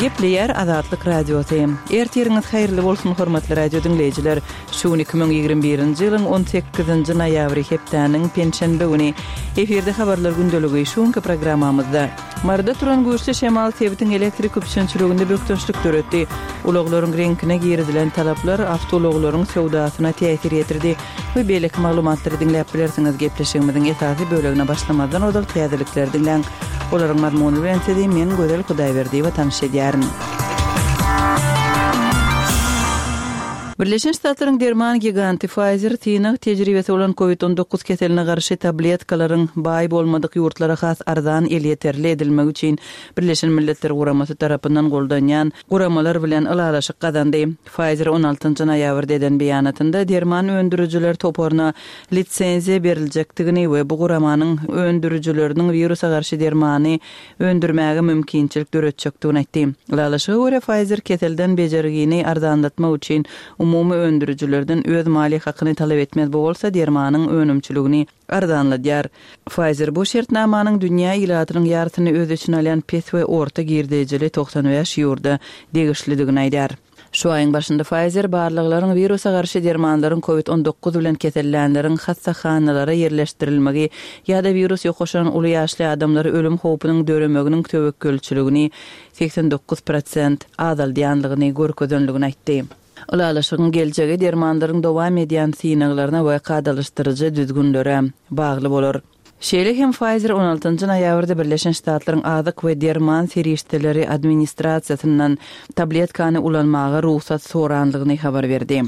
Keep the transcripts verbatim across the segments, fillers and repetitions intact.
Gepleýär Azatlyk Radiosy. Ertiriňiz haýyrly bolsun, hormatly radio diňleýjiler. Şu gün iki müň ýigrimi birinji ýylyň on sekizinji noýabry hepdäniň penşenbe güni. Efirde habarlar gündeligi şu günki programmamyzda. Maryda turan güýçli şemal sebitiň elektrik üpjünçiliginde bökdençlik döretdi. Ulaglaryň reňkine girizilen talaplar awtoulaglaryň söwdasyna täsir ýetirdi we beýleki maglumatlary diňläp bilersiňiz. Gepleşigimiziň esasy bölegine başlamazdan ozal täzelikleri diňläň. Olaryň mazmuny bilen sizi men Gözel Hudaýberdiýewa tanyş edýärin. Birleşen Ştatlaryň derman giganty Pfizer synag tejribesi bolan Covid on dokuz keseline garşy tabletkalaryň baý bolmadyk ýurtlara has arzan elýeterli edilmegi üçin Birleşen Milletler Guramasy tarapyndan goldanýan guramalar bilen ylalaşyk gazandy. Pfizer on altynjy noýabrda eden beýanatynda derman öndürijiler toparyna lisenziýa beriljekdigini we bu guramanyň öndürijileriniň wirusa garşy dermany öndürmäge mümkinçilik döretjekdigini aýtdy. Ylalaşyga görä, Pfizer keselden bejergini arzanlatmak üçin umumy öndürijilerden öz maliýe hakyny talap etmez, bu bolsa dermanyň önümçiligini arzanladýar. Pfizer bu şertnamanyň dünýä ilatynyň ýarysyny öz içine alýan pes we orta girdejili togsan bäş ýurda degişlidigini aýdýar. Şu aýyň başynda Pfizer barlaglaryň wirusa garşy dermanlaryň Covid on dokuz bilen kesellänleriň hassahanalara ýerleşdirilmegi ýa-da wirus ýokaşan uly ýaşly adamlary ölüm howpunyň döremeginiň töwekgelçiligini segsen dokuz prosent azaldýanlygyny görkezenligini aýtdy. Ylalaşygyň geljegi dermanlaryň dowam edýän synaglaryna we kadalaşdyryjy düzgünlere bagly bolar. Şeýle hem Pfizer on altynjy noýabrda Birleşen Ştatlaryň Azyk we derman serişdeleri administrasiýasyndan tabletkany ulanmaga rugsat soranlygyny habar berdi.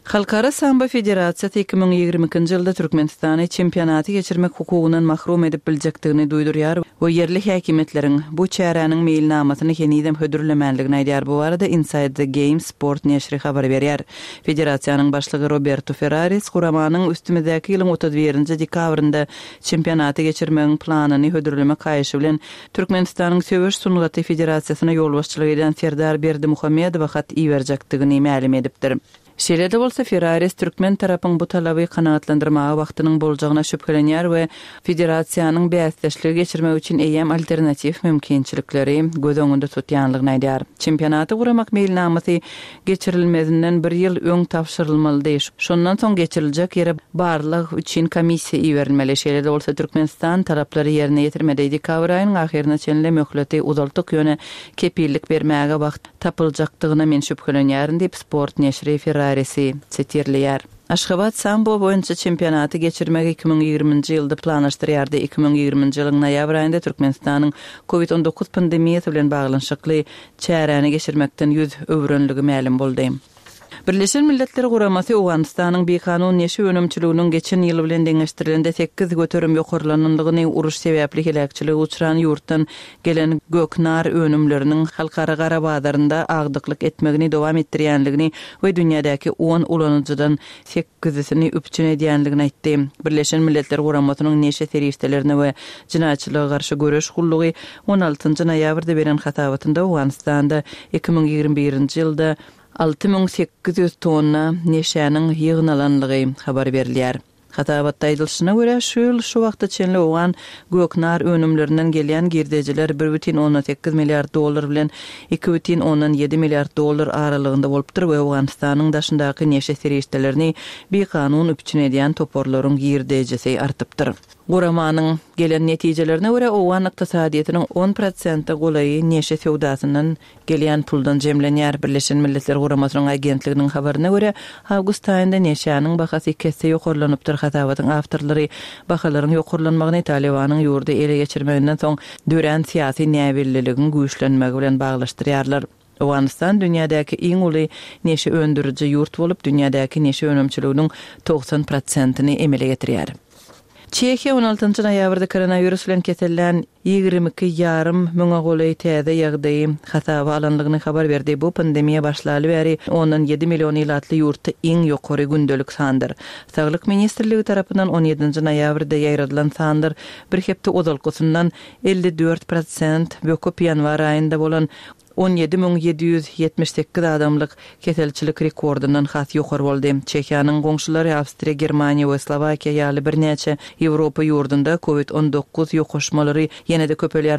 Halkara Sambo Federasiýasy iki müň ýigrimi ikinji ýylda Türkmenistany çempionaty geçirmek hukugyndan mahrum edip biljekdigini duýdurýar we ýerli häkimiýetleriň bu çäräniň meýilnamasyny henizem hödürlemänligini aýdýar. Bu barada Inside the Game sport neşiri habar berýär. Federasiýanyň başlygy Roberto Ferraris guramanyň üstümizdäki ýylyň otuz birinji dekabrynda çempionaty geçirmegiň planyny hödürlemek haýyşy bilen Türkmenistanyň Söweş sungaty federasiýasyna ýolbaşçylyk edýän Serdar Berdimuhamedowa hat iberjekdigini mälim edipdir. Şeýle-de bolsa Ferraris türkmen tarapyň bu talaby kanagatlandyrmaga wagtynyň boljagyna şübhelenýär we federasiýanyň bäsdeşligi geçirmek üçin eýýäm alternatiw mümkinçilikleri göz öňünde tutýanlygyny aýdýar. Çempionaty guramak meýilnamasy geçirilmezinden bir ýyl öň tabşyrylmalydy. Şondan soň geçiriljek ýere barlag üçin komissiýa iberilmeli. Şeýle-de bolsa Türkmenistan taraplary ýerine ýetirmedi. Dekabr aýynyň ahyryna çenli möhleti uzaltdyk, ýöne kepillik bermäge wagt tapyljakdygyna men şübhelenýärin diýip, sport neşiri Ferrarisi sitirleýär. Aşgabat sambo boýunça çempionaty geçirmegi iki müň ýigriminji ýylda planlaşdyrýardy. Iki müň ýigriminji ýylyň noýabr aýynda Türkmenistanyň Covid on dokuz pandemiýasy bilen baglanyşykly çäräni geçirmekden ýüz öwrenligi mälim boldy. Birleşen Milletler Guramasy Owganystanyň bikanun neşe önümçiliginiň geçen ýyl bilen deňeşdirilende sekiz göterim ýokarlanandygyny, uruş sebäpli heläkçilige uçran ýurtdan gelen göknar önümleriniň halkara gara bazarynda agdyklyk etmegini dowam etdirýänligini we dünýädäki on ulanyjydan sekizisini üpjün edýänligini aýtdy. Birleşen Milletler Guramasynyň neşe serişdelerine we jinaýatçylyga garşy göreş gullugy on altynjy noýabrda beren hasabatynda Owganystanda iki müň ýigrimi birinji ýylda alty müň sekiz ýüz tonna neşäniň ýygnalanlygy habar berilýär. Hasabatda aýdylyşyna görä, şu ýyl şu wagta çenli owgan göknar önümlerinden gelýän girdejiler bir bütin ondan sekiz milliard dollar bilen iki bütin ondan ýedi milliard dollar aralygynda bolupdyr we Owganystanyň daşyndaky neşe serişdelerini bikanun üpjün edýän toparlaryň girdejisi artypdyr. Guramanyň gelen netijelerine görä, owgan ykdysadyýetiniň on prosente golaýy neşe söwdasyndan gelýän puldan jemlenýär. Birleşen Milletler Guramasynyň agentliginiň habaryna görä, awgust aýynda neşäniň bahasy iki esse ýokarlanypdyr. Hasabatyň awtorlary bahalaryň ýokarlanmagyny Talibanyň ýurdy ele geçirmeginden soň dörän syýasy näbelliligiň güýçlenmegi bilen baglaşdyrýarlar. Owganystan dünýädäki iň uly neşe öndüriji ýurt bolup, dünýädäki neşe önümçiliginiň togsan prosentini emele getirýär. Çehiýa on altynjy noýabrda koronawirus bilen kesellän ýigrimi iki ýarym müňe golaý täze ýagdaýy hasaba alanlygyny habar berdi. Bu pandemiýa başlaly bäri ondan ýedi million ilatly ýurtda iň ýokary gündelik sandyr. Saglyk ministrligi tarapyndan on ýedinji noýabrda ýaýradylan sanlar bir hepde ozalkysyndan elli dört prosent böküp ýanwar aýynda bolan on ýedi müň ýedi ýüz ýetmiş sekiz adamlyk keselçilik rekordyndan has ýokary boldy. Çehiýanyň goňşulary Awstriýa, Germaniýa we Slowakiýa ýaly birnäçe Ýewropa ýurdunda Covid on dokuz ýokaşmalary ýene-de köpelýär.